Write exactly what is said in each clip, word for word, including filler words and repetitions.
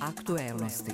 Aktuelnosti.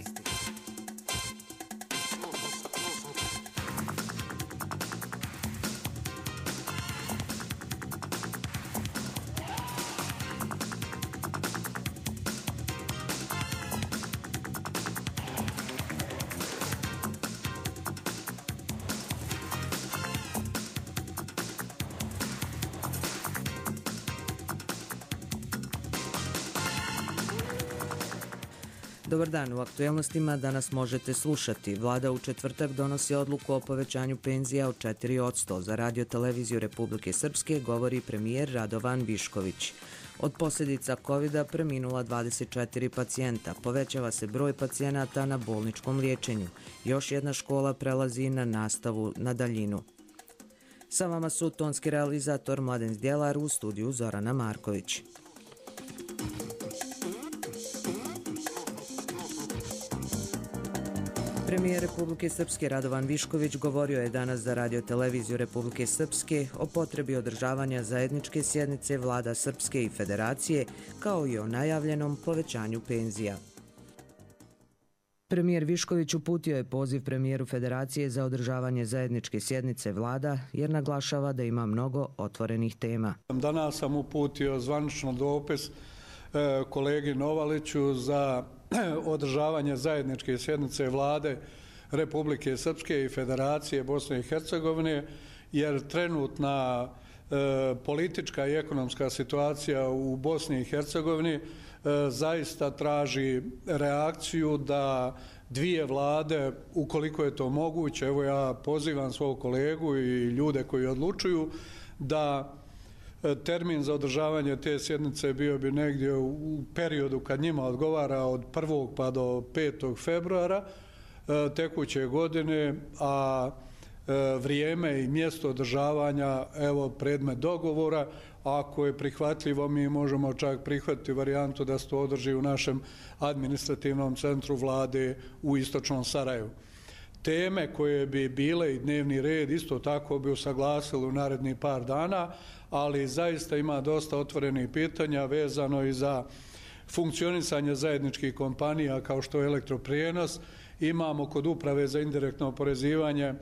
Dobar dan, u aktuelnostima danas možete slušati. Vlada u četvrtak donosi odluku o povećanju penzija od četiri posto. Za Radio televiziju Republike Srpske govori premijer Radovan Višković. Od posljedica kovida preminula dvadeset četiri pacijenta. Povećava se broj pacijenata na bolničkom liječenju. Još jedna škola prelazi na nastavu na daljinu. Sa vama su tonski realizator Mladen Zdjelar, u studiju Zorana Marković. Premijer Republike Srpske Radovan Višković govorio je danas za Radio televiziju Republike Srpske o potrebi održavanja zajedničke sjednice vlada Srpske i Federacije, kao i o najavljenom povećanju penzija. Premijer Višković uputio je poziv premijeru Federacije za održavanje zajedničke sjednice vlada, jer naglašava da ima mnogo otvorenih tema. Danas sam uputio zvanično dopis kolegi Novaliću za održavanje zajedničke sjednice vlade Republike Srpske i Federacije Bosne i Hercegovine, jer trenutna e, politička i ekonomska situacija u Bosni i Hercegovini e, zaista traži reakciju da dvije vlade, ukoliko je to moguće, evo ja pozivam svog kolegu i ljude koji odlučuju, da termin za održavanje te sjednice bio bi negdje u periodu kad njima odgovara od prvog pa do petog februara tekuće godine, a vrijeme i mjesto održavanja evo predmet dogovora. Ako je prihvatljivo, mi možemo čak prihvatiti varijantu da se to održi u našem administrativnom centru vlade u istočnom Sarajevu. Teme koje bi bile i dnevni red isto tako bi usaglasili u narednih par dana, ali zaista ima dosta otvorenih pitanja vezano i za funkcionisanje zajedničkih kompanija kao što je elektroprijenos. Imamo kod uprave za indirektno oporezivanje e,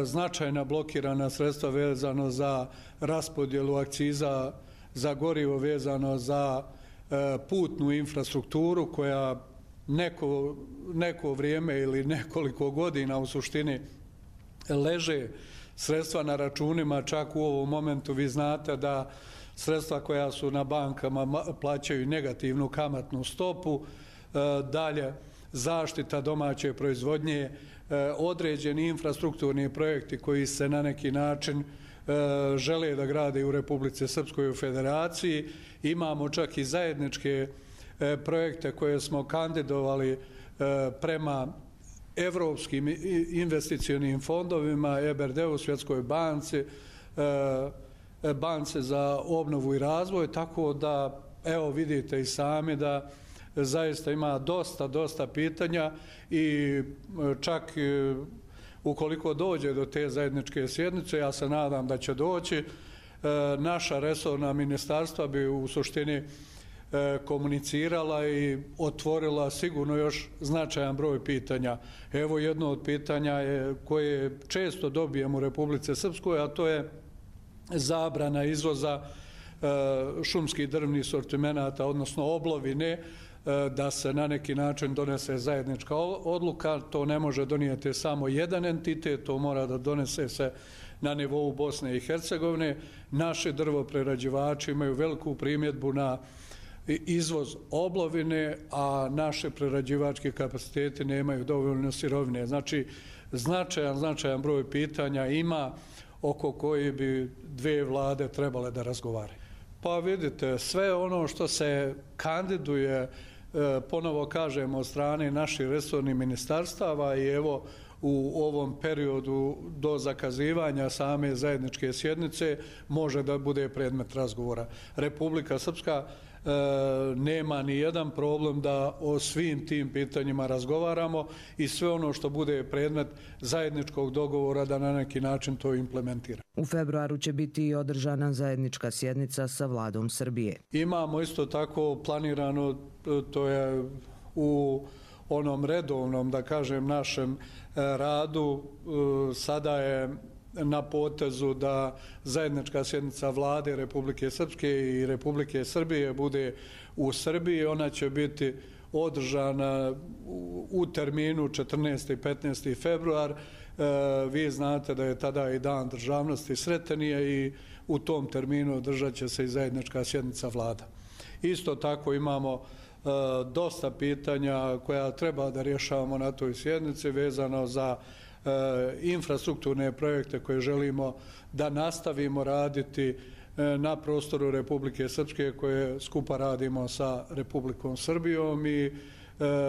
značajna blokirana sredstva vezano za raspodjelu akciza za gorivo, vezano za e, putnu infrastrukturu koja neko, neko vrijeme ili nekoliko godina u suštini leže sredstva na računima. Čak u ovom momentu vi znate da sredstva koja su na bankama plaćaju negativnu kamatnu stopu. E, dalje, zaštita domaće proizvodnje, e, određeni infrastrukturni projekti koji se na neki način e, žele da grade u Republici Srpskoj i u Federaciji. Imamo čak i zajedničke e, projekte koje smo kandidovali e, prema evropskim investicionim fondovima, E B R D-u, Svjetskoj banci, banci za obnovu i razvoj, tako da evo vidite i sami da zaista ima dosta, dosta pitanja i čak ukoliko dođe do te zajedničke sjednice, ja se nadam da će doći, naša resorna ministarstva bi u suštini komunicirala i otvorila sigurno još značajan broj pitanja. Evo jedno od pitanja je koje često dobijemo u Republici Srpskoj, a to je zabrana izvoza šumskih drvnih sortimenata, odnosno oblovine, da se na neki način donese zajednička odluka. To ne može donijeti samo jedan entitet, to mora da donese se na nivou Bosne i Hercegovine. Naši drvoprerađivači imaju veliku primjedbu na izvoz oblovine, a naše prerađivačke kapacitete nemaju dovoljno sirovine. Znači, značajan, značajan broj pitanja ima oko koji bi dvije vlade trebale da razgovaraju. Pa vidite, sve ono što se kandiduje, ponovo kažemo, od strane naših resornih ministarstava i evo u ovom periodu do zakazivanja same zajedničke sjednice može da bude predmet razgovora. Republika Srpska e, nema ni jedan problem da o svim tim pitanjima razgovaramo i sve ono što bude predmet zajedničkog dogovora da na neki način to implementira. U februaru će biti i održana zajednička sjednica sa vladom Srbije. Imamo isto tako planirano, to je u onom redovnom, da kažem, našem radu. Sada je na potezu da zajednička sjednica Vlade Republike Srpske i Republike Srbije bude u Srbiji. Ona će biti održana u terminu četrnaesti i petnaesti februar. Vi znate da je tada i dan državnosti Sretenije i u tom terminu održat će se i zajednička sjednica Vlada. Isto tako imamo dosta pitanja koja treba da rješavamo na toj sjednici vezano za infrastrukturne projekte koje želimo da nastavimo raditi na prostoru Republike Srpske koje skupa radimo sa Republikom Srbijom i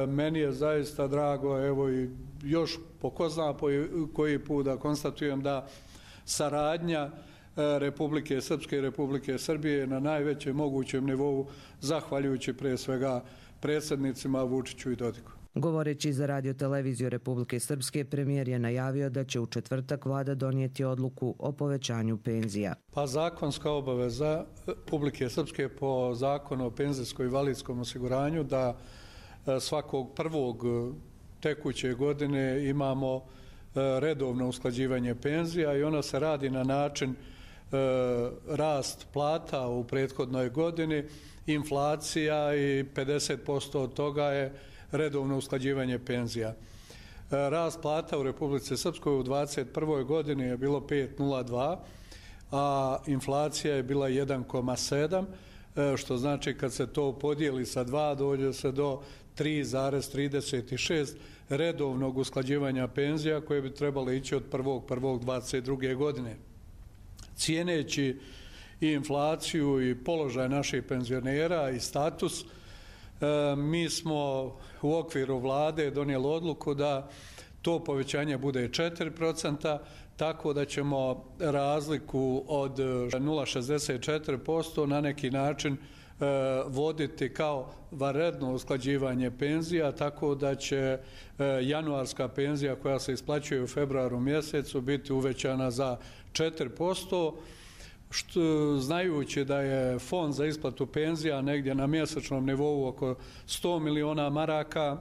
meni je zaista drago, evo i još po ko zna po koji put da konstatujem da saradnja Republike Srpske i Republike Srbije na najvećem mogućem nivou, zahvaljujući pre svega predsjednicima Vučiću i Dodiku. Govoreći za radioteleviziju Republike Srpske, premijer je najavio da će u četvrtak vlada donijeti odluku o povećanju penzija. Pa zakonska obaveza Republike Srpske po zakonu o penzijskom i invalidskom osiguranju da svakog prvog tekuće godine imamo redovno usklađivanje penzija i ono se radi na način rast plata u prethodnoj godini, inflacija i pedeset posto od toga je redovno usklađivanje penzija. Rast plata u Republici Srpskoj u dvadeset prvoj godini je bilo pet zarez nula dva, a inflacija je bila jedan zarez sedam, što znači kad se to podijeli sa dva dođe se do tri zarez trideset šest redovnog usklađivanja penzija koje bi trebalo ići od prvog prvog dvadeset druge godine. Cijeneći i inflaciju i položaj naših penzionera i status, mi smo u okviru vlade donijeli odluku da to povećanje bude četiri procenta, tako da ćemo razliku od nula zarez šezdeset četiri posto na neki način voditi kao vanredno usklađivanje penzija, tako da će januarska penzija koja se isplaćuje u februaru mjesecu biti uvećana za četiri posto, što, znajući da je fond za isplatu penzija negdje na mjesečnom nivou oko sto miliona maraka,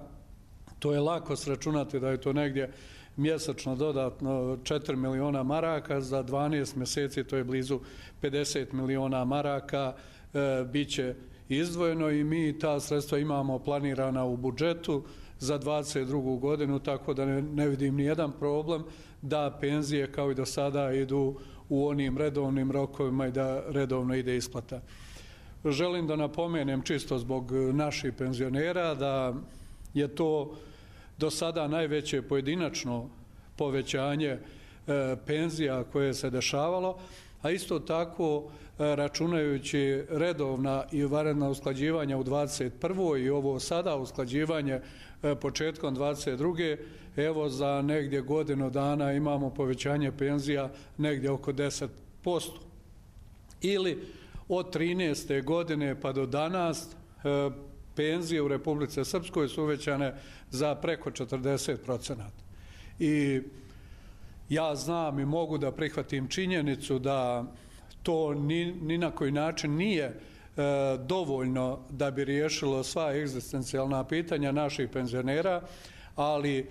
to je lako sračunati da je to negdje mjesečno dodatno četiri miliona maraka, za dvanaest mjeseci to je blizu pedeset miliona maraka, e, bit će izdvojeno i mi ta sredstva imamo planirana u budžetu za dvadeset drugu godinu, tako da ne, ne vidim ni jedan problem da penzije kao i do sada idu u onim redovnim rokovima i da redovno ide isplata. Želim da napomenem čisto zbog naših penzionera da je to do sada najveće pojedinačno povećanje e, penzija koje se dešavalo, a isto tako e, računajući redovna i vanredna usklađivanja u dvadeset prvoj i ovo sada usklađivanje e, početkom dvadeset druge evo za negdje godinu dana imamo povećanje penzija negdje oko deset posto. Ili od trinaeste godine pa do danas e, penzije u Republici Srpskoj su uvećane za preko četrdeset procenata. I ja znam i mogu da prihvatim činjenicu da to ni, ni na koji način nije e, dovoljno da bi riješilo sva egzistencijalna pitanja naših penzionera, ali e,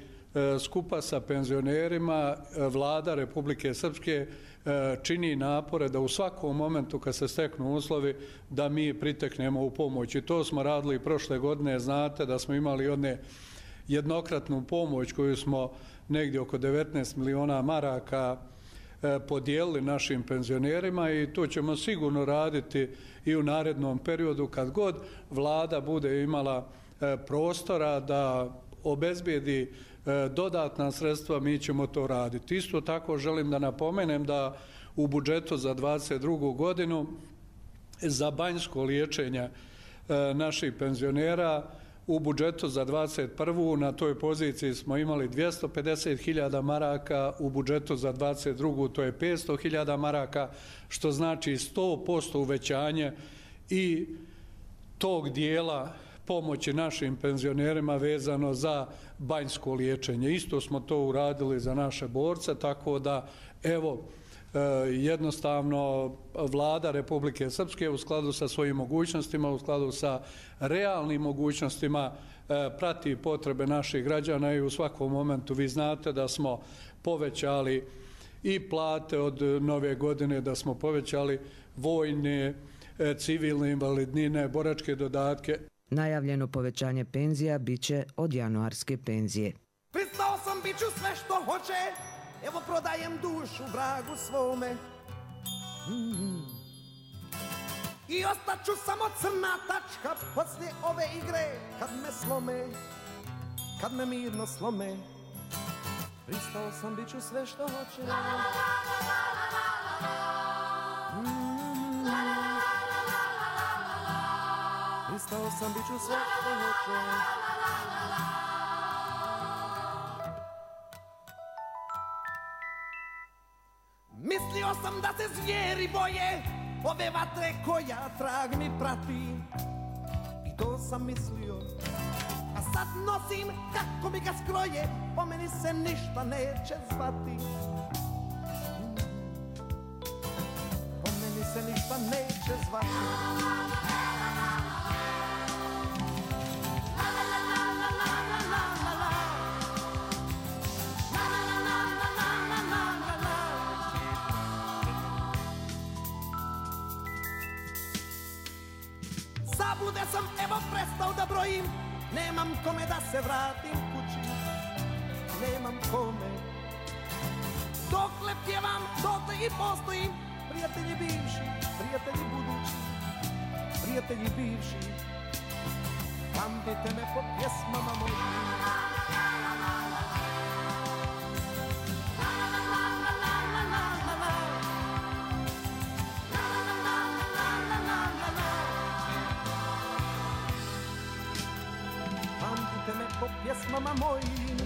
skupa sa penzionerima e, vlada Republike Srpske e, čini napore da u svakom momentu kad se steknu uslovi da mi priteknemo u pomoć. I to smo radili prošle godine, znate da smo imali jedne jednokratnu pomoć koju smo negdje oko devetnaest miliona maraka e, podijelili našim penzionerima i to ćemo sigurno raditi i u narednom periodu kad god vlada bude imala e, prostora da obezbijedi e, dodatna sredstva, mi ćemo to raditi. Isto tako želim da napomenem da u budžetu za dvadeset drugu godinu za banjsko liječenje e, naših penzionera u budžetu za dvadeset prvu na toj poziciji smo imali dvjesto pedeset hiljada maraka, u budžetu za dvadeset drugu to je petsto hiljada maraka, što znači sto posto uvećanje i tog dijela pomoći našim penzionerima vezano za banjsko liječenje. Isto smo to uradili za naše borce, tako da evo jednostavno vlada Republike Srpske u skladu sa svojim mogućnostima, u skladu sa realnim mogućnostima prati potrebe naših građana i u svakom momentu vi znate da smo povećali i plate od nove godine, da smo povećali vojne, civilne invalidnine, boračke dodatke. Najavljeno povećanje penzija biće od januarske penzije. Pristao sam, bit ću sve što hoće, evo prodajem dušu vragu svome. Mm. I ostaću samo crna tačka poslije ove igre, kad me slome, kad me mirno slome. Pristao sam, bit ću sve što hoće. Mm. Pristao sam, bit ću sve što hoće. Mislio sam da se zvijeri boje ove vatre koja trag mi prati. I to sam mislio, a sad nosim kako mi ga skroje, po meni se ništa neće zvati. Po meni se ništa neće zvati. Zabude sam, evo prestao da brojim, nemam kome da se vratim kući, nemam kome. Dokle pjevam, dotle i postojim, prijatelji bivši, prijatelji budući, prijatelji bivši, pamtite me po pjesmama mojim. Pamtite me po pjesmama mojim.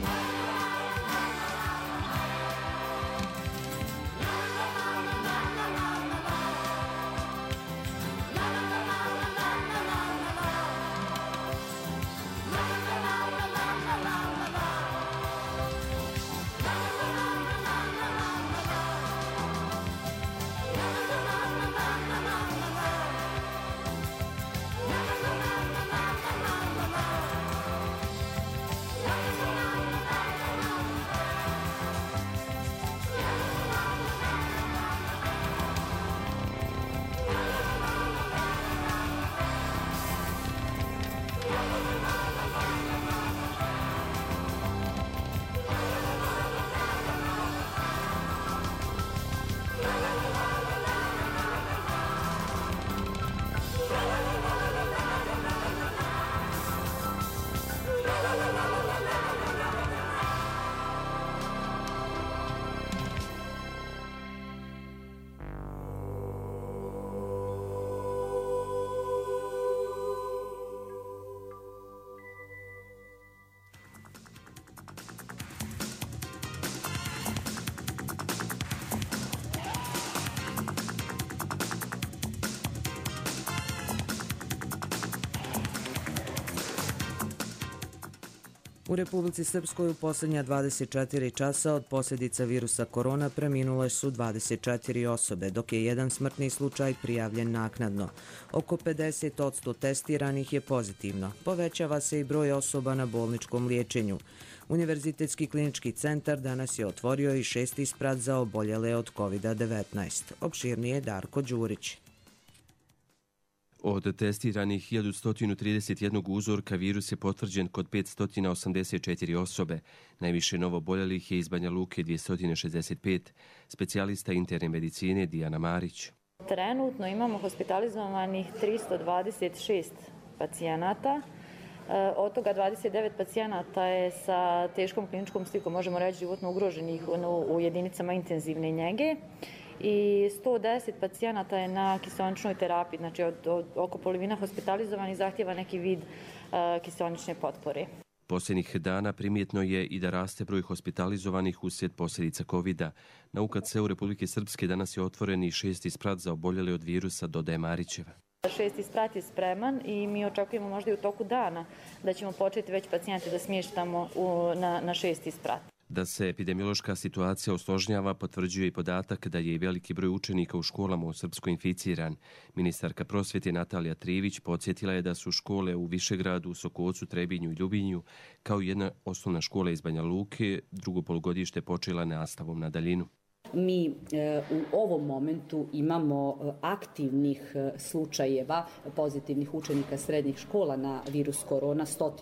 U Republici Srpskoj u posljednja dvadeset četiri časa od posljedica virusa korona preminule su dvadeset četiri osobe, dok je jedan smrtni slučaj prijavljen naknadno. Oko pedeset posto testiranih je pozitivno. Povećava se i broj osoba na bolničkom liječenju. Univerzitetski klinički centar danas je otvorio i šesti sprat za oboljele od kovid devetnaest. Opširnije Darko Đurić. Od testiranih hiljadu sto trideset jedan uzorka virus je potvrđen kod petsto osamdeset četiri osobe. Najviše novoboljelih je iz Banja Luke dvjesto šezdeset pet. Specijalista interne medicine Dijana Marić. Trenutno imamo hospitalizovanih tristo dvadeset šest pacijenata. Od toga dvadeset devet pacijenata je sa teškom kliničkom slikom, možemo reći životno ugroženih u jedinicama intenzivne njege. I sto deset pacijenata je na kiseoničnoj terapiji, znači od, od oko polovina hospitalizovanih zahtjeva neki vid uh, kiseonične potpore. Posljednjih dana primjetno je i da raste broj hospitalizovanih uslijed posljedica kovida. Na U K C u Republike Srpske danas je otvoren i šesti sprat za oboljele od virusa, dodaje Marićeva. Šesti sprat je spreman i mi očekujemo možda i u toku dana da ćemo početi već pacijente da smještamo u, na, na šesti sprat. Da se epidemiološka situacija osložnjava potvrđuje i podatak da je i veliki broj učenika u školama u Srpskoj inficiran. Ministarka prosvjete Natalija Trivić podsjetila je da su škole u Višegradu, Sokocu, Trebinju i Ljubinju, kao i jedna osnovna škola iz Banja Luke, drugo polugodište počela nastavom na daljinu. Mi e, u ovom momentu imamo aktivnih slučajeva pozitivnih učenika srednjih škola na virus korona sto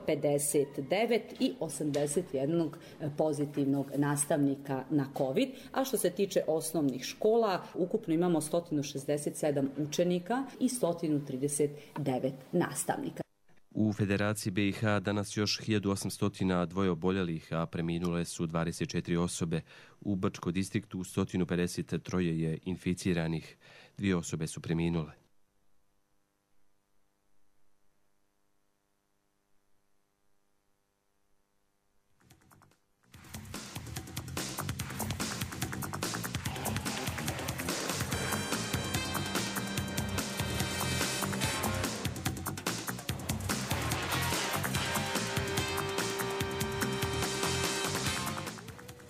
pedeset devet i osamdeset jedan pozitivnog nastavnika na COVID. A što se tiče osnovnih škola, ukupno imamo sto šezdeset sedam učenika i sto trideset devet nastavnika. U Federaciji B i H danas još hiljadu osamsto dva oboljelih, a preminule su dvadeset četiri osobe. U Brčko distriktu sto pedeset tri je inficiranih, dvije osobe su preminule.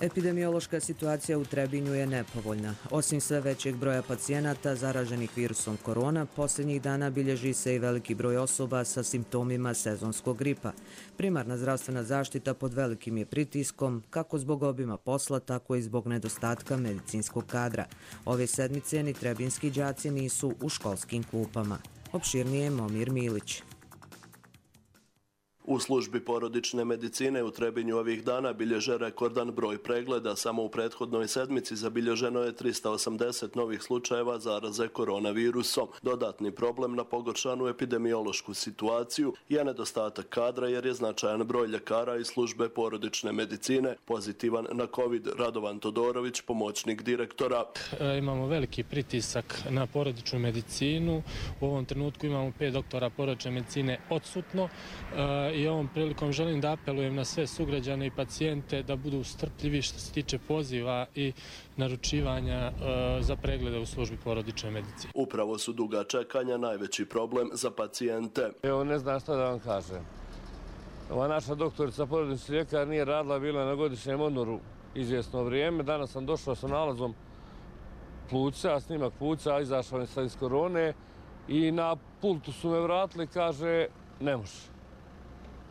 Epidemiološka situacija u Trebinju je nepovoljna. Osim sve većeg broja pacijenata zaraženih virusom korona, posljednjih dana bilježi se i veliki broj osoba sa simptomima sezonskog gripa. Primarna zdravstvena zaštita pod velikim je pritiskom, kako zbog obima posla, tako i zbog nedostatka medicinskog kadra. Ove sedmice ni trebinski đaci nisu u školskim klupama. Opširnije Momir Milić. U službi porodične medicine u Trebinju ovih dana bilježe rekordan broj pregleda. Samo u prethodnoj sedmici zabilježeno je trista osamdeset novih slučajeva zaraze koronavirusom. Dodatni problem na pogoršanu epidemiološku situaciju je nedostatak kadra jer je značajan broj ljekara iz službe porodične medicine pozitivan na COVID. Radovan Todorović, pomoćnik direktora. E, imamo veliki pritisak na porodičnu medicinu. U ovom trenutku imamo pet doktora porodične medicine odsutno. E, I ovom prilikom želim da apelujem na sve sugrađane i pacijente da budu strpljivi što se tiče poziva i naručivanja e, za preglede u službi porodične medicine. Upravo su duga čekanja najveći problem za pacijente. Evo, ne znam šta da vam kažem. Ova naša doktorica porodični ljekar nije radila, bila na godišnjem odmoru izvjesno vrijeme. Danas sam došao sa nalazom pluća, snimak pluća, izašao sam iz korone i na pultu su me vratili, kaže, ne može.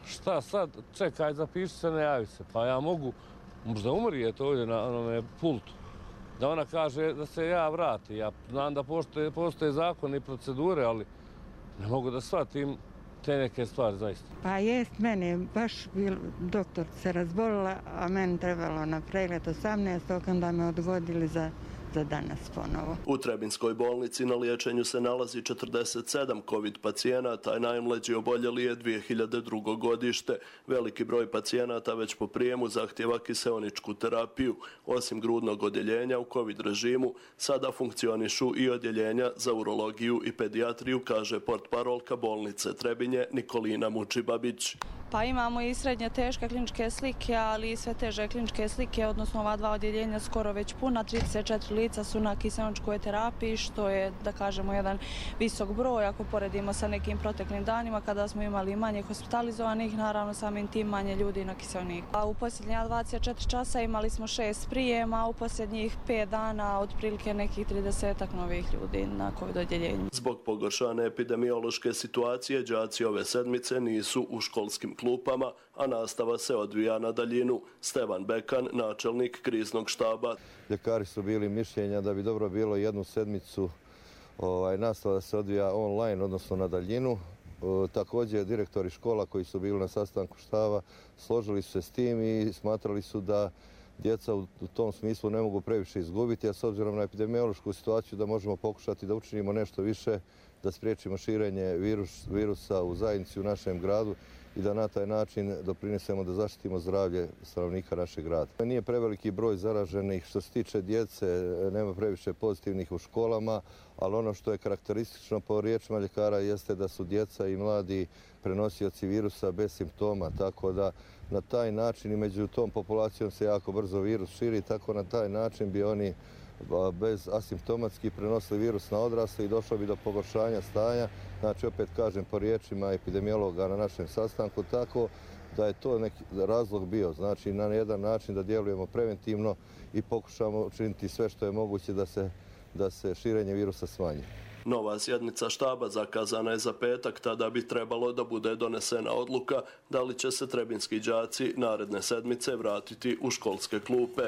Šta sad? Čekaj, zapiši se, ne javi se. Pa ja mogu, možda umrijeti ovdje na onome pultu. Da ona kaže da se ja vrati. Ja znam da postoje, postoje zakone i procedure, ali ne mogu da shvatim te neke stvari zaista. Pa jest, mene baš bil, doktor se razbolila, a meni trebalo na pregled osamnaestog onda me odgodili za za danas ponovo. U Trebinskoj bolnici na liječenju se nalazi četrdeset sedam COVID pacijenata, a najmlađi oboljeli je dvije hiljade drugo godište. Veliki broj pacijenata već po prijemu zahtjeva kiseoničku terapiju. Osim grudnog odjeljenja u COVID režimu, sada funkcionišu i odjeljenja za urologiju i pedijatriju, kaže portparolka bolnice Trebinje Nikolina Mučibabić. Pa imamo i srednje teške kliničke slike, ali i sve teže kliničke slike, odnosno ova dva odjeljenja skoro već puna, trideset četiri lica su na kiseoničkoj terapiji, što je, da kažemo, jedan visok broj ako poredimo sa nekim proteklim danima kada smo imali manje hospitalizovanih, naravno samim tim manje ljudi na kiseoniku. A u posljednja dvadeset četiri časa imali smo šest prijema, a u posljednjih pet dana otprilike nekih tridesetak novih ljudi na COVID odjeljenju. Zbog pogoršane epidemiološke situacije, đaci ove sedmice nisu u školskim klupama, a nastava se odvija na daljinu. Stevan Bekan, načelnik kriznog štaba. Ljekari su bili mišljenja da bi dobro bilo jednu sedmicu ovaj, nastava da se odvija online, odnosno na daljinu. E, također direktori škola koji su bili na sastanku štaba složili su se s tim i smatrali su da djeca u, u tom smislu ne mogu previše izgubiti, a s obzirom na epidemiološku situaciju da možemo pokušati da učinimo nešto više, da spriječimo širenje virus, virusa u zajednici u našem gradu i da na taj način doprinesemo da zaštitimo zdravlje stanovnika našeg grada. Nije preveliki broj zaraženih što se tiče djece, nema previše pozitivnih u školama, ali ono što je karakteristično po riječima ljekara jeste da su djeca i mladi prenosioci virusa bez simptoma, tako da na taj način i među tom populacijom se jako brzo virus širi, tako na taj način bi oni bez asimptomatski prenosili virus na odrasle i došlo bi do pogoršanja stanja. Znači, opet kažem, po riječima epidemiologa na našem sastanku, tako da je to neki razlog bio. Znači na jedan način da djelujemo preventivno i pokušamo učiniti sve što je moguće da se, da se širenje virusa smanji. Nova sjednica štaba zakazana je za petak, tada bi trebalo da bude donesena odluka da li će se trebinski đaci naredne sedmice vratiti u školske klupe.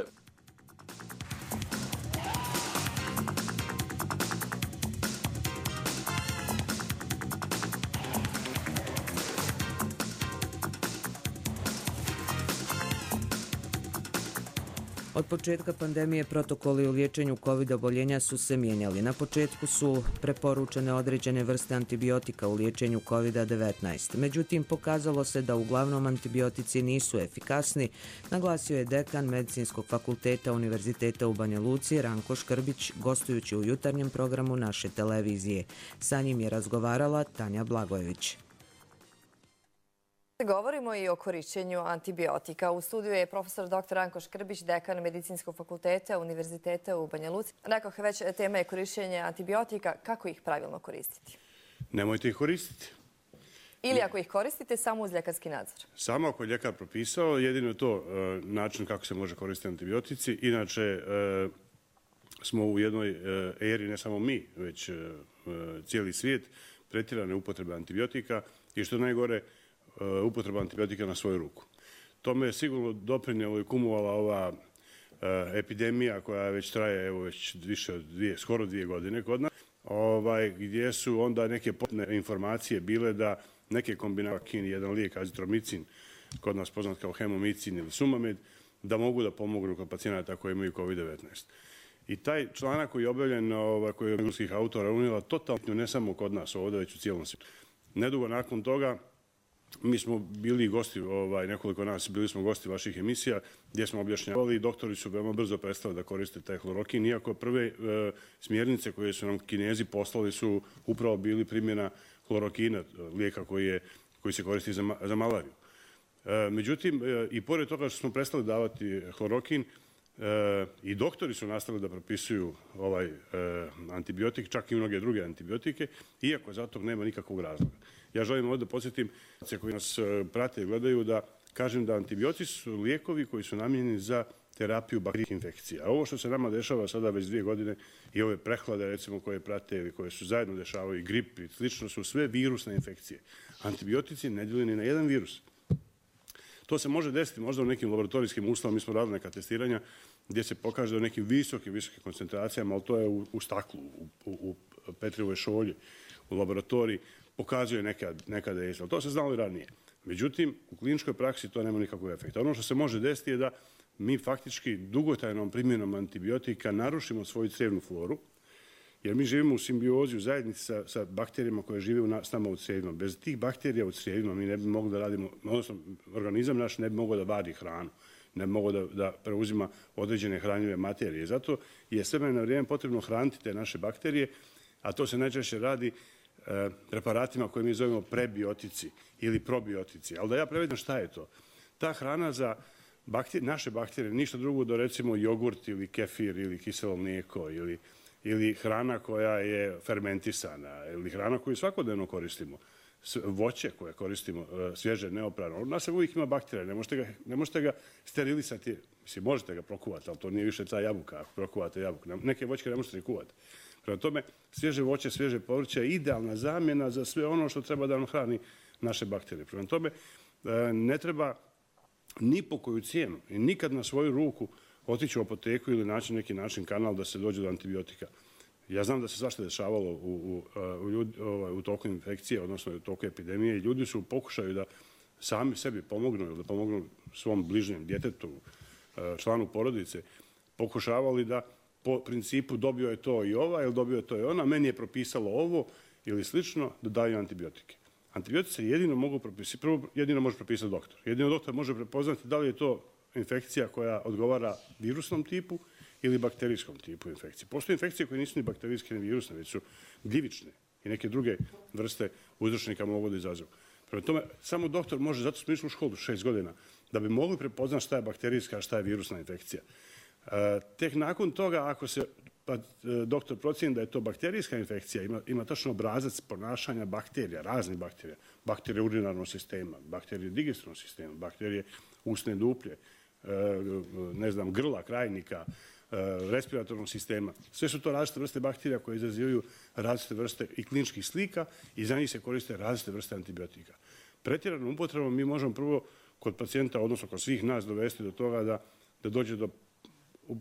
Od početka pandemije protokoli u liječenju kovid oboljenja su se mijenjali. Na početku su preporučene određene vrste antibiotika u liječenju kovid devetnaest. Međutim, pokazalo se da uglavnom antibiotici nisu efikasni, naglasio je dekan Medicinskog fakulteta Univerziteta u Banja Luci Ranko Škrbić, gostujući u jutarnjem programu naše televizije. Sa njim je razgovarala Tanja Blagojević. Govorimo i o korišćenju antibiotika. U studiju je profesor doktor Ranko Škrbić, dekan Medicinskog fakulteta Univerziteta u Banja Luci. Rekoh, već tema je korišćenje antibiotika. Kako ih pravilno koristiti? Nemojte ih koristiti. Ili ako ih koristite, samo uz ljekarski nadzor? Samo ako je ljekar propisao, jedino je to e, način kako se može koristiti antibiotici. Inače, e, smo u jednoj e, eri, ne samo mi, već e, cijeli svijet, pretjerane upotrebe antibiotika i što najgore, upotreba antibiotika na svoju ruku. Tome je sigurno doprinijela i kumuvala ova uh, epidemija koja već traje evo već više od dvije, skoro dvije godine kod nas, ovaj, gdje su onda neke potne informacije bile da neke kombinacije, jedan lijek azitromicin, kod nas poznat kao hemomicin ili sumamed, da mogu da pomognu kod pacijenata koji imaju kovid devetnaest. I taj članak koji je objavljen, ovaj, koji je od engleskih autora unijela totalno ne samo kod nas ovdje, već u cijelom svijetu. Nedugo nakon toga mi smo bili gosti, ovaj, nekoliko nas, bili smo gosti vaših emisija gdje smo objašnjavali i doktori su veoma brzo prestali da koriste taj hlorokin, iako prve e, smjernice koje su nam Kinezi poslali su upravo bili primjena hlorokina, lijeka koji, je, koji se koristi za, za malariju. E, međutim, e, i pored toga što smo prestali davati hlorokin, e, i doktori su nastavili da propisuju ovaj e, antibiotik, čak i mnoge druge antibiotike, iako za to nema nikakvog razloga. Ja želim ovdje podsjetim koji nas prate i gledaju da kažem da antibiotici su lijekovi koji su namijenjeni za terapiju bakterijskih infekcija. A ovo što se nama dešava sada već dvije godine i ove prehlade recimo koje prate ili koje su zajedno dešavaju i grip i slično su sve virusne infekcije. Antibiotici ne djeluju ni na jedan virus. To se može desiti možda u nekim laboratorijskim uslovima, mi smo radili neka testiranja gdje se pokaže da u nekim visokim, visokim koncentracijama, ali to je u, u staklu, u, u, u Petrijevoj šolji, u laboratoriji, pokazuje nekad, nekada je, ali to se znalo i ranije. Međutim, u kliničkoj praksi to nema nikakvog efekta. Ono što se može desiti je da mi faktički dugotrajnom primjenom antibiotika narušimo svoju crijevnu floru, jer mi živimo u simbiozi, u zajednici sa, sa bakterijama koje žive u na, s nama u crijevima. Bez tih bakterija u crijevima mi ne bi mogli da radimo, odnosno organizam naš ne bi mogao da vadi hranu, ne bi mogao da, da preuzima određene hranjive materije. Zato je sve na vrijeme potrebno hraniti te naše bakterije, a to se najčešće radi preparatima koje mi zovemo prebiotici ili probiotici. Ali da ja prevedem šta je to? Ta hrana za bakterije, naše bakterije, ništa drugo do recimo jogurt ili kefir ili kiselo mlijeko ili, ili hrana koja je fermentisana ili hrana koju svakodnevno koristimo. Voće koje koristimo, svježe, neoprano. U nas uvijek ima bakterije, ne možete ga, ne možete ga sterilisati. Mislim, možete ga prokuvati, ali to nije više ta jabuka, ako prokuvate jabuku. Neke voćke ne možete ni kuvati. Prema tome, svježe voće, svježe povrće je idealna zamjena za sve ono što treba da nam hrani naše bakterije. Prema tome, ne treba ni po koju cijenu i nikad na svoju ruku otići u apoteku ili naći neki način kanal da se dođe do antibiotika. Ja znam da se svašta dešavalo u, u, u, ljudi, ovaj, u toku infekcije, odnosno u toku epidemije i ljudi su u pokušaju da sami sebi pomognu ili da pomognu svom bližnjem djetetu, članu porodice, pokušavali da po principu dobio je to i ova ili dobio je to i ona, meni je propisalo ovo ili slično, da daju antibiotike. Antibiotice jedino mogu propisati, prvo jedino može propisati doktor. Jedino doktor može prepoznati da li je to infekcija koja odgovara virusnom tipu ili bakterijskom tipu infekcije. Postoje infekcije koje nisu ni bakterijske ni virusne, već su gljivične i neke druge vrste uzročnika mogu da izazovu. Prema tome, samo doktor može, zato smo išli u školu šest godina, da bi mogli prepoznati šta je bakterijska, a šta je virusna infekcija. E, tek nakon toga, ako se pa doktor procjeni da je to bakterijska infekcija, ima, ima tačno obrazac ponašanja bakterija, raznih bakterija, bakterije urinarnog sistema, bakterije digestivnog sistema, bakterije usne duplje, ne znam, grla, krajnika, respiratornog sistema. Sve su to različite vrste bakterija koje izazivaju različite vrste i kliničkih slika i za njih se koriste različite vrste antibiotika. Pretjeranom upotrebom mi možemo prvo kod pacijenta, odnosno kod svih nas, dovesti do toga da, da dođe do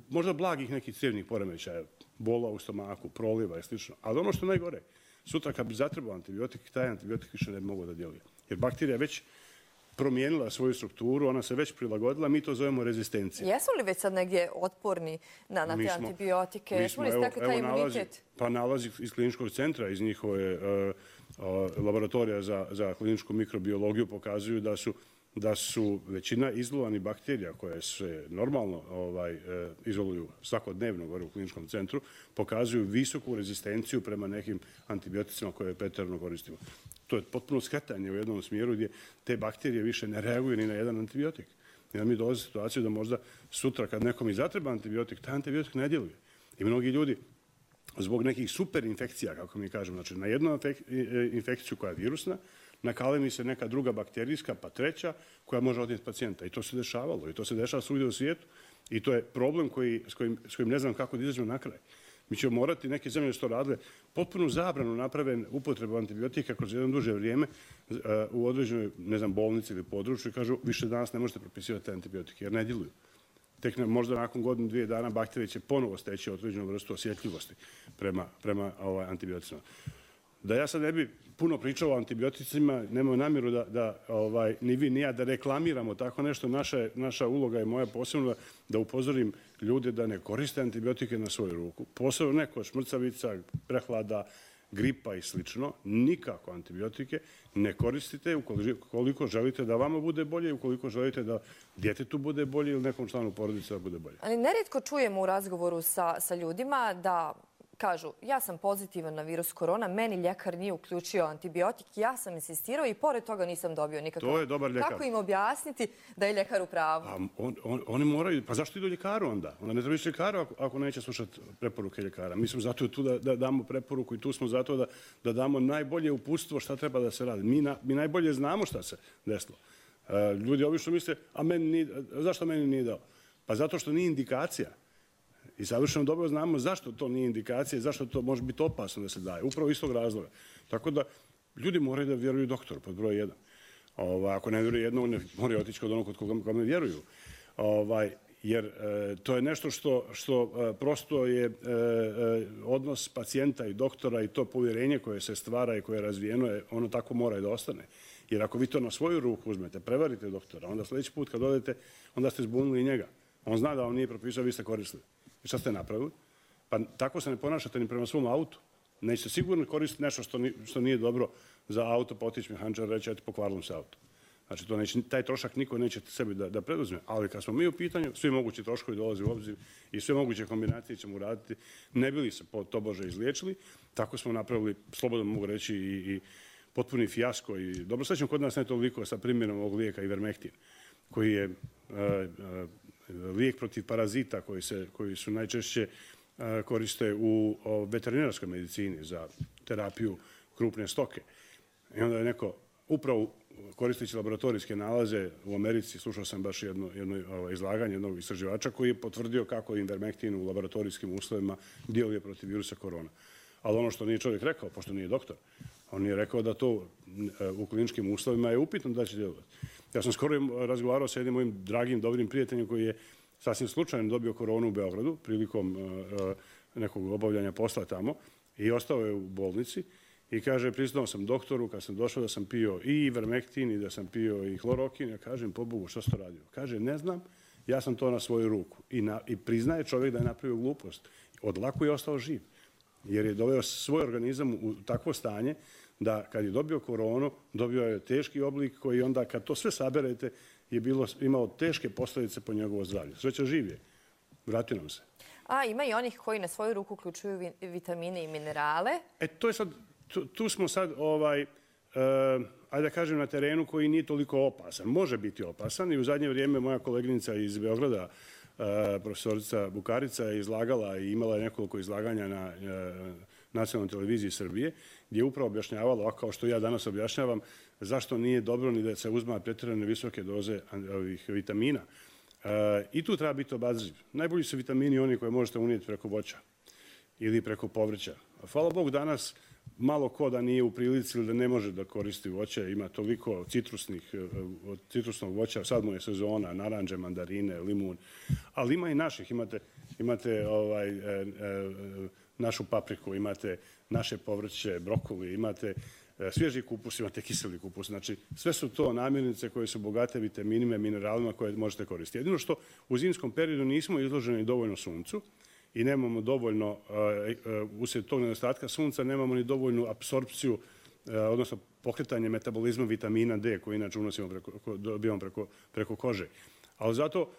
možda blagih nekih crijevnih poremećaja, bola u stomaku, proliva i slično. Ali ono što je najgore, sutra kad bi zatrebao antibiotik, taj antibiotik više ne bi mogao da djeluje. Jer bakterija već promijenila svoju strukturu, ona se već prilagodila, mi to zovemo rezistencija. Jesu li već sad negdje otporni na, na te smo, antibiotike? Jesu li stekli taj imunitet? Pa nalazi iz kliničkog centra, iz njihove uh, uh, laboratorija za, za kliničku mikrobiologiju pokazuju da su da su većina izolovanih bakterija koje se normalno ovaj, izoluju svakodnevno gore u kliničkom centru, pokazuju visoku rezistenciju prema nekim antibioticima koje pretjerano koristimo. To je potpuno skretanje u jednom smjeru gdje te bakterije više ne reaguju ni na jedan antibiotik. I da mi dolazi situaciju da možda sutra kad nekom i zatreba antibiotik, taj antibiotik ne djeluje. I mnogi ljudi zbog nekih super infekcija, kako mi kažemo, znači na jednu infekciju koja je virusna, nakalemi se neka druga bakterijska, pa treća, koja može odnijeti pacijenta. I to se dešavalo. I to se dešava svugdje u svijetu. I to je problem koji, s, kojim, s kojim ne znam kako da izađemo na kraj. Mi ćemo morati, neke zemlje što radile, potpuno zabranu naprave upotrebu antibiotika kroz jedno duže vrijeme uh, u određenoj, ne znam, bolnici ili području i kažu više danas ne možete propisivati te antibiotike jer ne djeluju. Tek ne, možda nakon godinu, dvije dana bakterije će ponovo steći određenu vrstu osjetljivosti prema, prema ovaj, antibioticima. Da ja sad ne bi puno pričao o antibioticima, nemamo namjeru da, da ovaj, ni vi ni ja da reklamiramo tako nešto. Naša, naša uloga je moja posebno da upozorim ljude da ne koriste antibiotike na svoju ruku. Posebno neko šmrcavica, prehlada, gripa i slično. Nikako antibiotike ne koristite ukoliko želite da vama bude bolje, ukoliko želite da djetetu bude bolje ili nekom članu porodice da bude bolje. Ali nerijetko čujemo u razgovoru sa, sa ljudima da kažu, ja sam pozitivan na virus korona, meni ljekar nije uključio antibiotik, ja sam insistirao i pored toga nisam dobio nikakav. To je dobar ljekar. Kako im objasniti da je ljekar u pravu? A on, on, oni moraju, pa zašto idu ljekaru onda? Onda ne treba ići ljekaru ako, ako neće slušati preporuke ljekara. Mi smo zato tu da, da damo preporuku i tu smo zato da, da damo najbolje uputstvo šta treba da se radi. Mi, na, mi najbolje znamo šta se desilo. Uh, ljudi obično misle, a meni nije, zašto meni nije dao? Pa zato što nije indikacija. I savršeno dobro znamo zašto to nije indikacija i zašto to može biti opasno da se daje. Upravo iz tog razloga. Tako da ljudi moraju da vjeruju doktoru pod broj jedan. Ovaj, ako ne vjeruju jednog, ne moraju otići kod onog kod kome vjeruju. Ovaj, jer e, to je nešto što, što e, prosto je e, e, odnos pacijenta i doktora i to povjerenje koje se stvara i koje je razvijeno, je, ono tako mora i da ostane. Jer ako vi to na svoju ruku uzmete, prevarite doktora, onda sljedeći put kad odete, onda ste zbunili njega. On zna da vam nije propisao, vi ste koristili. I šta ste napravili? Pa tako se ne ponašate ni prema svom autu. Nećete sigurno koristiti nešto što, ni, što nije dobro za auto, pa otići mehančar reći, eto, pokvarilo se auto. Znači, to neće, taj trošak niko neće sebi da, da preduzme. Ali kad smo mi u pitanju, svi mogući troškovi dolaze u obzir i sve moguće kombinacije ćemo uraditi. Ne bili se po tobože izliječili, tako smo napravili, slobodno mogu reći, i, i potpuni fijasko. I dobro srećno kod nas ne toliko sa primjenom ovog lijeka Ivermectin, koji je uh, uh, lijek protiv parazita koji, se, koji su najčešće uh, koriste u o, veterinarskoj medicini za terapiju krupne stoke. I onda je neko upravo koristeći laboratorijske nalaze u Americi, slušao sam baš jedno, jedno ovo, izlaganje jednog istraživača koji je potvrdio kako Ivermectin u laboratorijskim uslovima djeluje protiv virusa korona. Ali ono što nije čovjek rekao, pošto nije doktor, on je rekao da to u kliničkim uslovima je upitno da će djelovati. Ja sam skoro razgovarao sa jednim mojim dragim, dobrim prijateljem koji je sasvim slučajno dobio koronu u Beogradu prilikom uh, nekog obavljanja posla tamo i ostao je u bolnici i kaže, priznao sam doktoru kad sam došao da sam pio i Ivermectin i da sam pio i hlorokin. Ja kažem, pobogu, što si to radio? Kaže, ne znam, ja sam to na svoju ruku. I, na, i priznaje čovjek da je napravio glupost. Od lako je ostao živ. Jer je doveo svoj organizam u takvo stanje da kad je dobio koronu, dobio je teški oblik koji onda kad to sve saberete je bilo, imao teške posljedice po njegovo zdravlje. Sreća živ je. Vrati nam se. A ima i onih koji na svoju ruku uključuju vitamine i minerale. E to je sad, tu, tu smo sad ovaj, uh, ajde da kažem na terenu koji nije toliko opasan. Može biti opasan i u zadnje vrijeme moja koleginica iz Beograda, profesorica Bukarica je izlagala i imala je nekoliko izlaganja na nacionalnoj televiziji Srbije, gdje je upravo objašnjavala, kao što ja danas objašnjavam, zašto nije dobro ni da se uzma pretjerane visoke doze ovih vitamina. I tu treba biti obazriv. Najbolji su vitamini oni koje možete unijeti preko voća ili preko povrća. Hvala Bogu, danas malo ko da nije u prilici ili da ne može da koristi voće, ima toliko citrusnih, od citrusnog voća, sad mu je sezona, naranđe, mandarine, limun, ali ima i naših, imate, imate ovaj, e, e, našu papriku, imate naše povrće, brokoli, imate e, svježi kupus, imate kiseli kupus, znači sve su to namirnice koje su bogate vitaminima i mineralima koje možete koristiti. Jedino što u zimskom periodu nismo izloženi dovoljno suncu, i nemamo dovoljno, uslijed tog nedostatka sunca, nemamo ni dovoljnu apsorpciju, odnosno pokretanje metabolizma vitamina D, koji inače unosimo preko, dobijamo preko, preko kože. Ali zato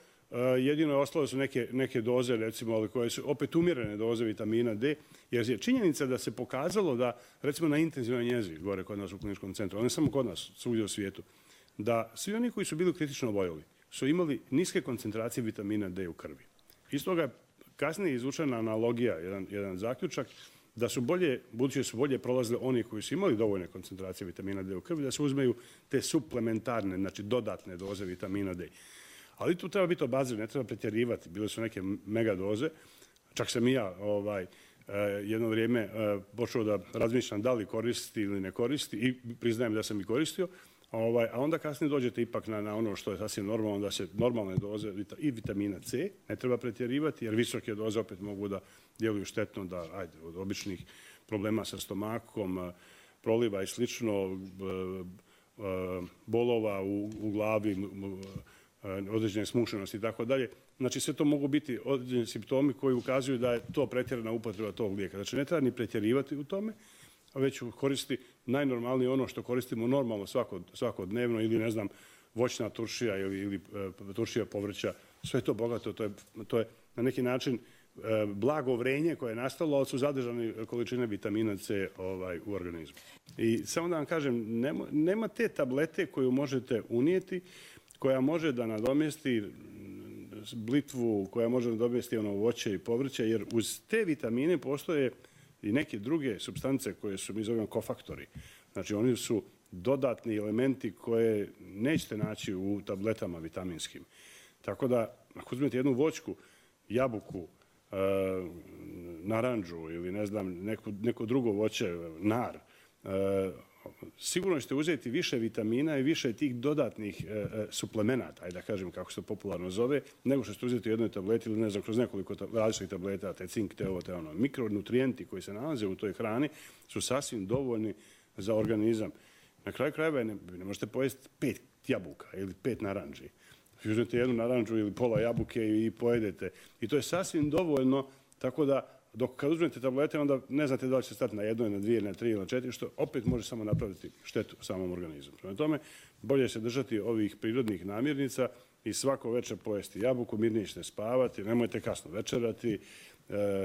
jedino je ostalo su neke, neke doze, recimo, ali koje su opet umjerene doze vitamina D, jer je činjenica da se pokazalo da, recimo na intenzivnoj njezi, gore kod nas u kliničkom centru, ne samo kod nas, svugdje u svijetu, da svi oni koji su bili kritično oboljeli su imali niske koncentracije vitamina D u krvi. Iz toga kasnije je izvučena analogija, jedan, jedan zaključak, da su bolje, budući da su bolje prolazili oni koji su imali dovoljne koncentracije vitamina D u krvi, da se uzmeju te suplementarne, znači dodatne doze vitamina D. Ali tu treba biti obazriv, ne treba pretjerivati. Bile su neke mega doze. Čak sam i ja ovaj, jedno vrijeme počeo da razmišljam da li koristi ili ne koristi i priznajem da sam i koristio. Ovaj, a onda kasnije dođete ipak na, na ono što je sasvim normalno, da se normalne doze i vitamina C ne treba pretjerivati, jer visoke doze opet mogu da djeluju štetno, da ajde, od običnih problema sa stomakom, proliva i slično, bolova u, u glavi, određene smušenosti i tako dalje. Znači sve to mogu biti određeni simptomi koji ukazuju da je to pretjerana upotreba tog lijeka. Znači ne treba ni pretjerivati u tome, već koristi najnormalnije ono što koristimo normalno svakod, svakodnevno ili ne znam voćna turšija ili, ili e, turšija povrća. Sve je to bogato, to je, to je na neki način e, blago vrenje koje je nastalo, ali su zadržane količine vitamina C ovaj, u organizmu. I samo da vam kažem, nema, nema te tablete koju možete unijeti, koja može da nadomjesti blitvu, koja može da nadomjesti ono voće i povrće, jer uz te vitamine postoje i neke druge supstance koje su, mi zovemo kofaktori. Znači, oni su dodatni elementi koje nećete naći u tabletama vitaminskim. Tako da, ako uzmete jednu voćku, jabuku, e, naranđu ili ne znam, neko, neko drugo voće, nar, e, sigurno ćete uzeti više vitamina i više tih dodatnih e, suplemenata, ajde da kažem kako se to popularno zove, nego što ćete uzeti u jednoj tableti ili ne znam, kroz nekoliko različitih tableta, te cink, te ovo, te ono. Mikronutrijenti koji se nalaze u toj hrani su sasvim dovoljni za organizam. Na kraju krajeva ne, ne možete pojesti pet jabuka ili pet naranđi. Uzmete jednu naranđu ili pola jabuke i pojedete. I to je sasvim dovoljno, tako da dok kad uzmete tablete, onda ne znate da li će stati na jednoj, na dvije, na tri ili na četiri, što opet može samo napraviti štetu samom organizmu. Prema tome, bolje se držati ovih prirodnih namirnica i svako večer pojesti jabuku, mirnije ćete spavati, nemojte kasno večerati,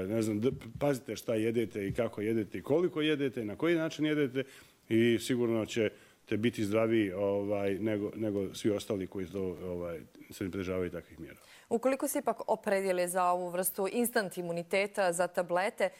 ne znam, pazite šta jedete i kako jedete i koliko jedete i na koji način jedete i sigurno ćete biti zdraviji ovaj, nego, nego svi ostali koji to, ovaj, se ne pridržavaju takvih mjera. Ukoliko se ipak opredijeli za ovu vrstu instant imuniteta, za tablete,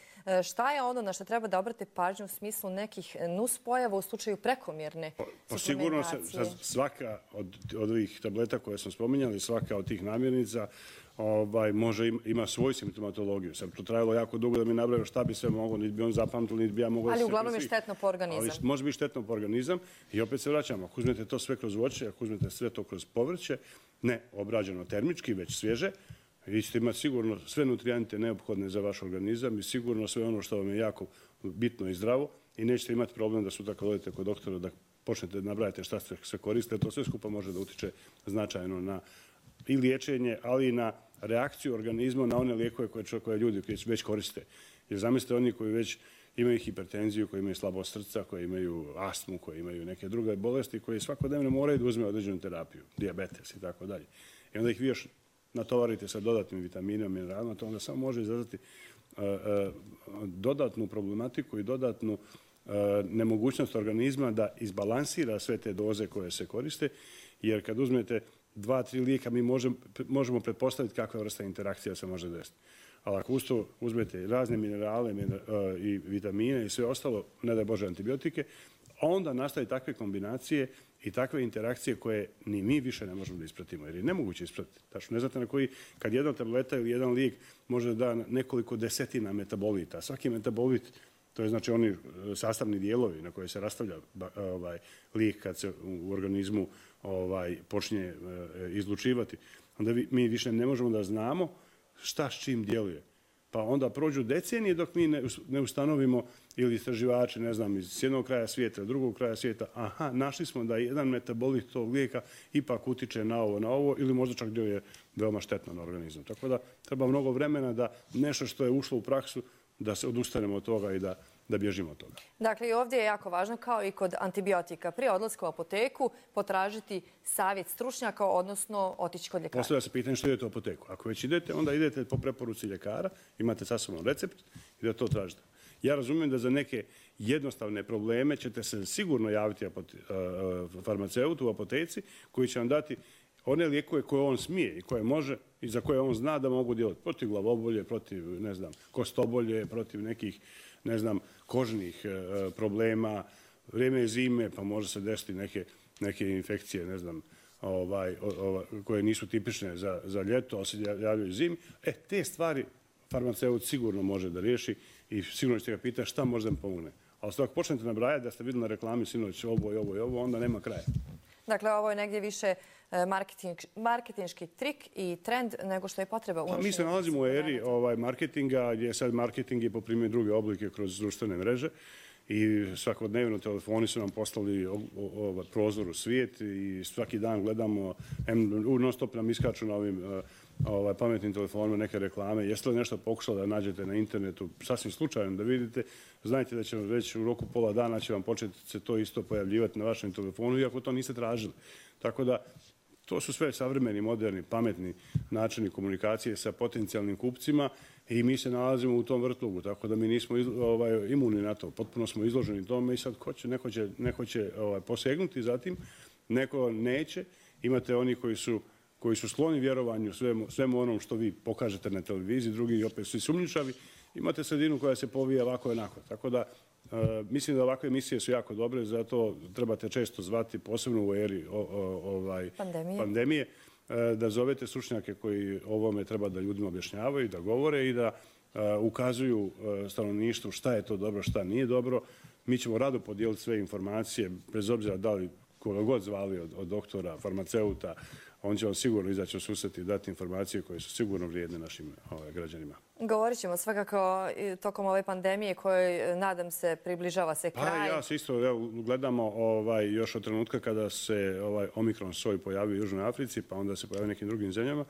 šta je ono na što treba da obrate pažnju u smislu nekih nuspojava u slučaju prekomjerne pa, sigurno se, svaka od, od ovih tableta koje sam spominjali, svaka od tih namirnica ovaj, može ima, ima svoju simptomatologiju. Sad to trajalo jako dugo da mi nabraju šta bi sve moglo, niti bi on zapamtili, niti bi ja mogao... Ali uglavnom je štetno po organizam. Ali može biti štetno po organizam i opet se vraćamo. Ako uzmete to sve kroz voće, ako uzmete sve to kroz povrće, ne obrađeno termički, već svježe, vi ćete imati sigurno sve nutrijente neophodne za vaš organizam i sigurno sve ono što vam je jako bitno i zdravo i nećete imati problem da sutra kad odete kod doktora da počnete da nabrajate šta sve koriste. To sve skupa može da utiče značajno na i liječenje, ali i na reakciju organizma na one lijekove koje, koje ljudi već koriste. Jer zamislite oni koji već imaju hipertenziju, koji imaju slabost srca, koji imaju astmu, koji imaju neke druge bolesti, koji svakodnevno moraju da uzme određenu terapiju, dijabetes i tako dalje. I onda ih vi još natovarite sa dodatnim vitaminima, mineralima, to onda samo može izazvati uh, uh, dodatnu problematiku i dodatnu uh, nemogućnost organizma da izbalansira sve te doze koje se koriste, jer kad uzmete dva, tri lijeka mi možemo, možemo pretpostaviti kakva vrsta interakcija se može desiti. Ali ako uz to uzmete razne minerale i vitamine i sve ostalo, ne daj Bože antibiotike, onda nastaju takve kombinacije i takve interakcije koje ni mi više ne možemo da ispratimo, jer je nemoguće ispratiti. Tačno, ne znate na koji, kad jedna tableta ili jedan lijek može da da nekoliko desetina metabolita. Svaki metabolit, to je znači oni sastavni dijelovi na koje se rastavlja ovaj, lijek kad se u organizmu ovaj, počinje izlučivati, onda mi više ne možemo da znamo šta s čim djeluje. Pa onda prođu decenije dok mi ne ustanovimo ili istraživači, ne znam, iz jednog kraja svijeta, drugog kraja svijeta, aha, našli smo da jedan metabolit tog lijeka ipak utiče na ovo, na ovo, ili možda čak djeluje veoma štetno na organizam. Tako da treba mnogo vremena da nešto što je ušlo u praksu, da se odustanemo od toga i da da bježimo od toga. Dakle, i ovdje je jako važno, kao i kod antibiotika, prije odlaska u apoteku potražiti savjet stručnjaka, odnosno otići kod ljekara. Postavlja se pitanje što idete u apoteku. Ako već idete, onda idete po preporuci ljekara, imate sa sobom recept i da to tražite. Ja razumijem da za neke jednostavne probleme ćete se sigurno javiti farmaceutu u apoteci koji će vam dati one lijekove koje on smije i koje može i za koje on zna da mogu djelovati protiv glavobolje, protiv, ne znam, kostobolje, protiv nekih, ne znam, kožnih e, problema. Vrijeme je zime, pa može se desiti neke, neke infekcije, ne znam, ovaj, ovaj, koje nisu tipične za, za ljeto, ali se javljaju zimi. E, te stvari farmaceut sigurno može da riješi i sigurno ćete ga pitati šta može da mi pomogne. Ali ako počnete nabrajati da ste vidjeli na reklami sinoć ovo i ovo i ovo, onda nema kraja. Dakle, ovo je negdje više marketing, marketinški trik i trend nego što je potreba. Pa, mi se nalazimo u eri ovaj, marketinga, gdje sad marketing je poprimio druge oblike kroz društvene mreže i svakodnevno telefoni su nam poslali ovaj, prozor u svijet i svaki dan gledamo, non stop nam iskaču na ovim ovaj, pametnim telefonima neke reklame. Jeste li nešto pokušali da nađete na internetu, sasvim slučajno da vidite, znajte da će vam već u roku pola dana će vam početi se to isto pojavljivati na vašem telefonu, iako to niste tražili. Tako da, to su sve savremeni, moderni, pametni načini komunikacije sa potencijalnim kupcima i mi se nalazimo u tom vrtlogu, tako da mi nismo ovaj, imuni na to. Potpuno smo izloženi tome i sad ko će, neko će, neko će ovaj, posegnuti zatim, neko neće. Imate oni koji su, koji su skloni vjerovanju svemu, svemu onom što vi pokažete na televiziji, drugi opet svi sumnjičavi. Imate sredinu koja se povija ovako i onako. Tako da, Uh, mislim da ovakve emisije su jako dobre, zato trebate često zvati, posebno u eri o, o, ovaj, pandemije, pandemije uh, da zovete stručnjake koji ovome treba da ljudima objašnjavaju, da govore i da uh, ukazuju uh, stanovništvu šta je to dobro, šta nije dobro. Mi ćemo rado podijeliti sve informacije, bez obzira da li koga god zvali od, od doktora, farmaceuta, on će vam sigurno izaći u susret i dati informacije koje su sigurno vrijedne našim ovaj, građanima. Govorit ćemo svakako tokom ove pandemije kojoj, nadam se, približava se kraj. Pa ja se isto evo, gledamo ovaj, još od trenutka kada se ovaj, Omikron soj pojavio u Južnoj Africi, pa onda se pojavio u nekim drugim zemljama.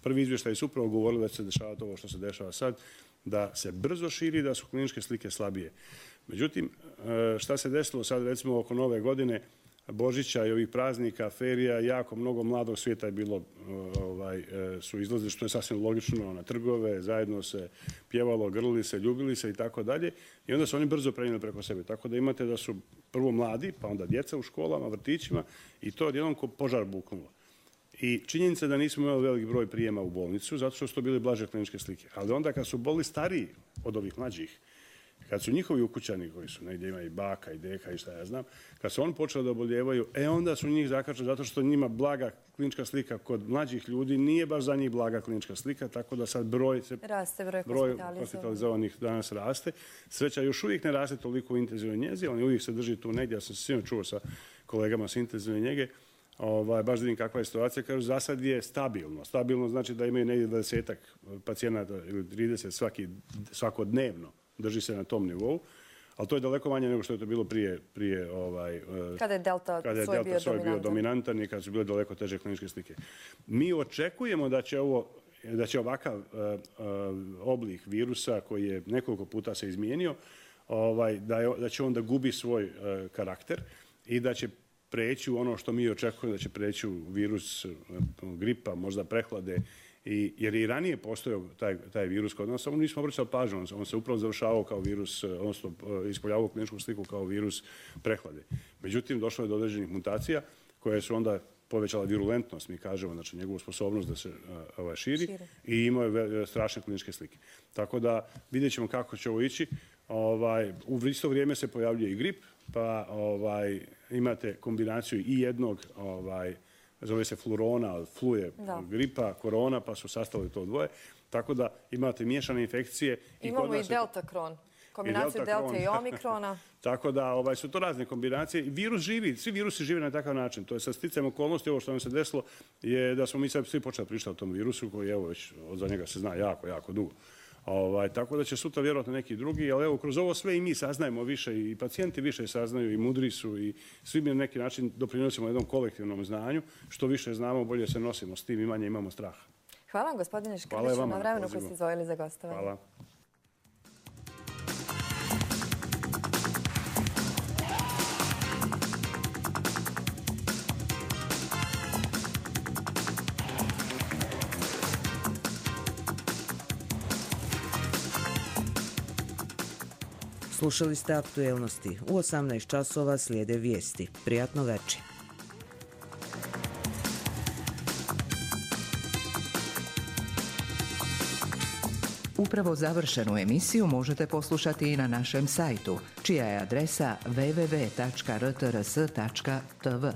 Prvi izvještaj su upravo govorili da će se dešavati ovo što se dešava sad, da se brzo širi, da su kliničke slike slabije. Međutim, šta se desilo sad recimo oko nove godine, Božića i ovih praznika, ferija, jako mnogo mladog svijeta je bilo, ovaj, su izlazili, što je sasvim logično, na trgove, zajedno se pjevalo, grlili se, ljubili se i tako dalje. I onda su oni brzo prenijeli preko sebe. Tako da imate da su prvo mladi, pa onda djeca u školama, vrtićima i to odjednom ko požar buknulo. I činjenica da nismo imali veliki broj prijema u bolnicu, zato što su to bile blaže kliničke slike. Ali onda kad su boli stariji od ovih mlađih, kad su njihovi ukućani, koji su negdje ima i baka i deka i šta ja znam, kad su oni počeli da oboljevaju, e onda su njih zakačali zato što njima blaga klinička slika kod mlađih ljudi nije baš za njih blaga klinička slika, tako da sad broj, se, raste, broj, broj hospitalizovanih danas raste. Sreća još uvijek ne raste toliko u intenzivnoj njezi, ali uvijek se drži tu negdje. Ja sam se svima čuo sa kolegama sa intenzivne njege, ovaj, baš da vidim kakva je situacija. Kažu, za sad je stabilno. Stabilno znači da imaju negdje dvadesetak pacijenata ili trideset svaki, svakodnevno. Drži se na tom nivou, ali to je daleko manje nego što je to bilo prije... prije ovaj, kada je Delta svoj bio, bio dominantan i kada su bile daleko teže kliničke slike. Mi očekujemo da će, ovo, da će ovakav uh, uh, oblik virusa koji je nekoliko puta se izmijenio, ovaj, da, je, da će on da gubi svoj uh, karakter i da će preći u ono što mi očekujemo, da će preći u virus uh, gripa, možda prehlade. I, jer i ranije postojao taj, taj virus kod nas, samo nismo obraćali pažnju, on, on se upravo završavao kao virus, odnosno ispoljavao kliničku sliku kao virus prehlade. Međutim, došlo je do određenih mutacija koje su onda povećala virulentnost, mi kažemo, znači njegovu sposobnost da se ovaj, širi, širi i imao je strašne kliničke slike. Tako da vidjet ćemo kako će ovo ići. Ovaj, u isto vrijeme se pojavljuje i grip, pa ovaj, imate kombinaciju i jednog, ovaj, zove se flurona, flu je gripa, korona, pa su sastavili to dvoje. Tako da imate miješane infekcije. Imamo i, i delta kron. Kombinaciju delta i omikrona. Tako da ovaj, su to razne kombinacije. Virus živi, svi virusi žive na takav način. To je sa sticajem okolnosti, ovo što nam se desilo, je da smo mi sad svi počeli pričati o tom virusu, koji evo već za njega se zna jako, jako dugo. Ovaj, tako da će sutra vjerojatno neki drugi, ali evo, kroz ovo sve i mi saznajemo više, i pacijenti više saznaju, i mudri su, i svi mi na neki način doprinosimo jednom kolektivnom znanju. Što više znamo, bolje se nosimo s tim i manje imamo straha. Hvala vam, gospodine Škrbiću, na vremenu koji ste izdvojili za gostovanje. Hvala. Slušali ste aktuelnosti. U osamnaest časova slijede vijesti. Prijatno večer. Upravo završenu emisiju možete poslušati i na našem sajtu, čija je adresa w w w tačka r t r s tačka t v.